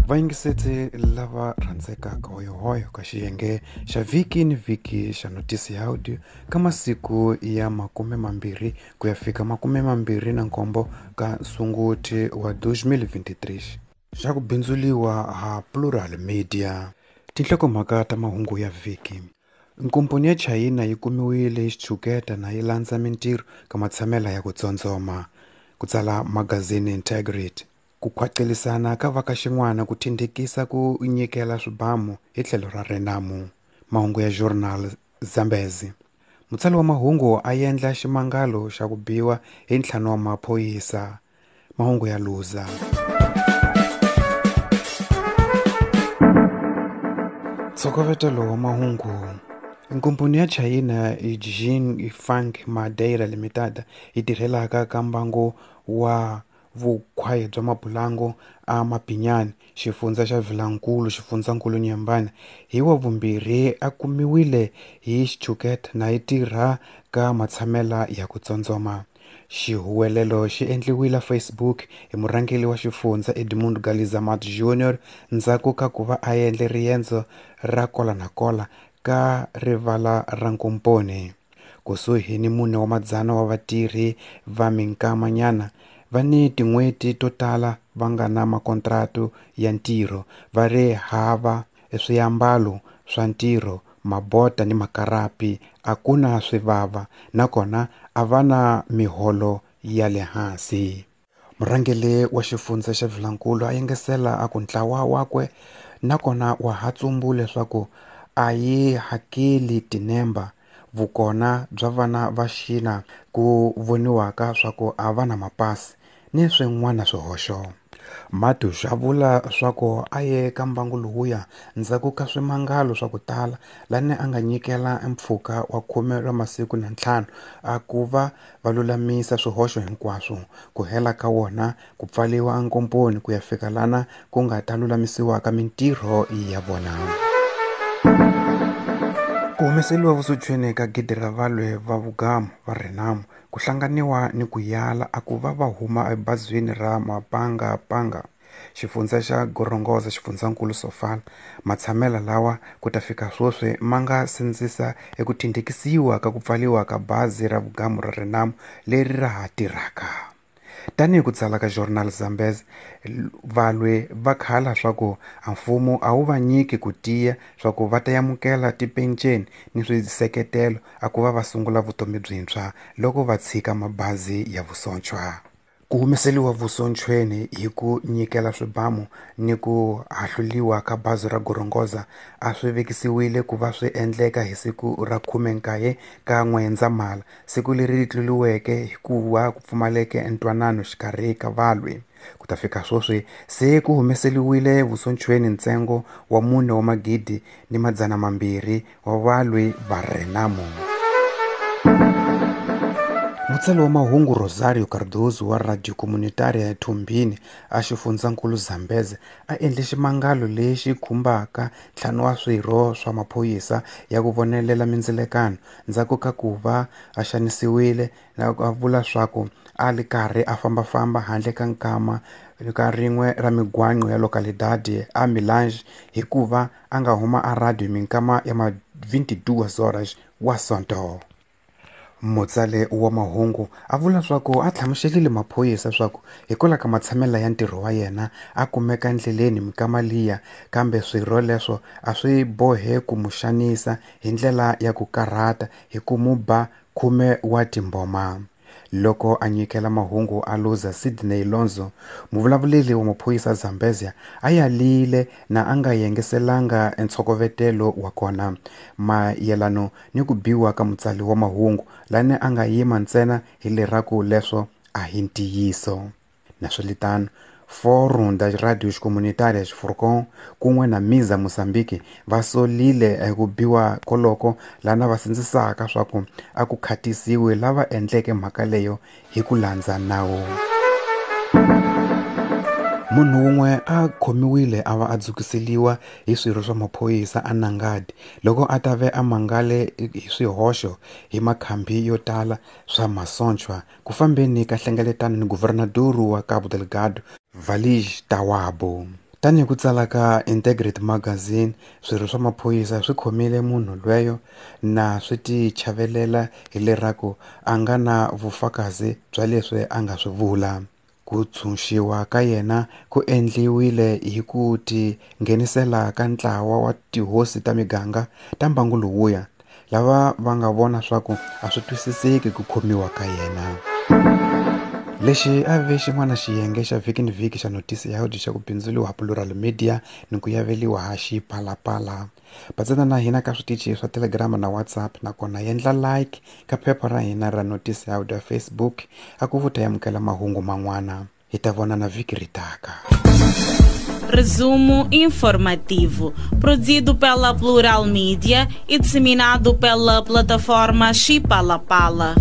Vayingisetsi lava rhandzekaka hoyohoyo ka xiyenge xa vhiki ni vhiki xa notisi ya audio ka masiku ya 20 ku ya fika 27 ka Sunguti wa 2023 xa ku bindzuliwa ha Plural Media. Tinhlokomhaka ta mahungu ya vhiki. Nkomponi ya Chayina yi kumiwile hi xitshuketa na yi landza mintirho ka matshamela ya ku tsondzoma, ku tsala magazini Integrity. Ku khwacelisana ka va ka xin'wana ku thindhikisa ku nyikela swibamu hi tlhelo ra Renamo. Mahungu ya Journal Zambezi. Mutsari wa mahungu a endla ximangalo xa ku biwa hi ntlhanu wa maphorisa. Mahungu ya Luza. Ntshokovetelo wa mahungu. Nkomponi ya Chayina Jin Fang Madeira Limited yi tirhelaka ka mbangu wa vukhwayi bya mapulangu a Mapinyan, xifundza xa Vilankulu, xifundzankulu Nyembane, hi Wavumbirhi a kumiwile hi xitshuketa na yi tirha ka matshamela ya ku tsondzoma. Xihuwelelo xi endliwile Facebook hi murhangeri wa xifundza Edmundo Galiza Matos Jr. ndzhaku ka ku va a endle riendzo ra kola na kola ka rivala ra nkomponi. Kusuhi ni 400 wa vatirhi va minkamanyana va ni tin'hweti to tala va nga na makontratu ya ntirho, va ri hava swiambalo swa ntirho, mabota ni makarapi, a ku na swivava nakona a va na miholo ya le hansi. Murhangeri wa xifundza xa Vilankulu a yengesela a ku ntlawa wakwe nakona wa ha tsumbula leswaku a yi hakeli tinemba vukona bya vana va xina ku voniwaka swa ku a va na mapasi ni swin'wana swihoxo. Matos a vula swa ku a ye ka mbangu lowuya ndzhaku ka swimangalo swa ku tala lani a nga nyikela mpfhuka wa 15 wa masiku a ku va va lulamisa swihoxo hinkwaswo, ku hela ka wona ku pfaliwa nkomponi ku ya fika lana ku nga ta lulamisiwaka mintirho ya vona. Ku humeseliwa vusochweni ka gidi ra valwi va vugamu va Renamo ku hlanganiwa ni ku yala a ku va va huma ebazini ra Mapangapanga, xifundza xa Gorongosa, xifundzankulu Sofala. Matshamela lawa ku ta fika sweswi ma nga sindzisa eku thindhikisiwa ka ku pfaliwa ka bazi ra vugamu ra Renamo leri ra ha tirhaka. Tanihi ku tsala ka Journal Zambezi, valwi va khala swa ku a mfumo a wu va nyiki ku tiya swa ku va ta amukela tipenceni ni swiseketelo a ku va va sungula vutomi byintshwa loko va tshika mabazi ya vusontshwa. Ku humeseliwa vusontshweni hi ku nyikela swibamu ni ku hahluliwa ka bazi ra Gorongosa a swi vekisiwile ku va swi endleka hi siku ra 19 ka N'wendzamhala, siku leri tluriweke hikuva ku pfumaleke ntwanano xikarhi ka valwi. Ku ta fika sweswi se ku humeseliwile vusontshweni ntsengo wa 4 200 wa valwi va Renamo. Mutsari wa mahungu Rosario Cardoso wa Radio Comunitaria ya Thumbini a xifundzankulu Zambezi a endle ximangalo lexi khumbaka 5 wa swirho swa maphorisa ya ku vonelela mindzilekano ndzhaku ka ku va a xanisiwile na a vula swa ku a li karhi a fambafamba handle ka nkama ka rin'we ra migwaqo ya localidade a Milange hikuva a nga huma a radio minkama ya ma 22 horas wa Sonto. Mutsari wa mahungu a vula swa ku a hlamuselile maphorisa swa ku hikwalaho ka matshamela ya ntirho wa yena a kumeka endleleni minkama liya, kambe swirho leswo a swi bohe ku mu xanisa hi ndlela ya ku karhata hi ku mu ba 10 wa timboma. Loko a nyikela mahungu a Luza Sidney Lonzo, muvulavuleri wa maphorisa Zambezia a yalile na a nga yengeselanga ntshokovetelo wa kona mayelano ni ku biwa ka mutsari wa mahungu lani a nga yima ntsena hi leraku leswo a hi ntiyiso. Naswelitano, Fórum das Rádios Comunitárias Furcon kun'we na Miza Mozambique va solile ku biwa koloko lana va sindzisaka swa ku a ku khatisiwi lava endleke mhaka leyo hi ku landza nawu. Munhu wun'we a khomiwile a va a dzukiseliwa hi swirho swa maphorisa a Nangadi loko a ta ve a mangale hi swihoxo hi makhambi yo tala swa masontshwa ku fambeni ka hlengeletano ni guvernador wa Cabo Delgado Valij Tawabo. Tanihi ku tsala ka Integrity Magazine, swirho swa maphorisa swi khomile munhu lweyo na swi ti chavelela hi leraku a nga na vufakazi bya leswi a nga swi vula. Ku tshunxiwa ka yena ku endliwile hi ku ti nghenisela ka ntlawa wa tihosi ta miganga ta mbangu lowuya, lava va nga vona swaku a swi twisiseki ku khomiwa ka yena. Lexi a ve xin'wana xiyenge xa vhiki ni vhiki xa notisi ya audio xa ku bindzuriwa Plural Media ni ku yaveliwa ha Xipalapala. Batsana na hina ka switichi swa Telegram na WhatsApp, nakona yendla like ka phepha ra hina ra notisi ya audio ya Facebook a ku vuta yamukela mahungu man'wana. Hi ta vonana vhiki ri taka. Resumo informativo, produzido pela Plural Mídia e disseminado pela plataforma Xipalapala.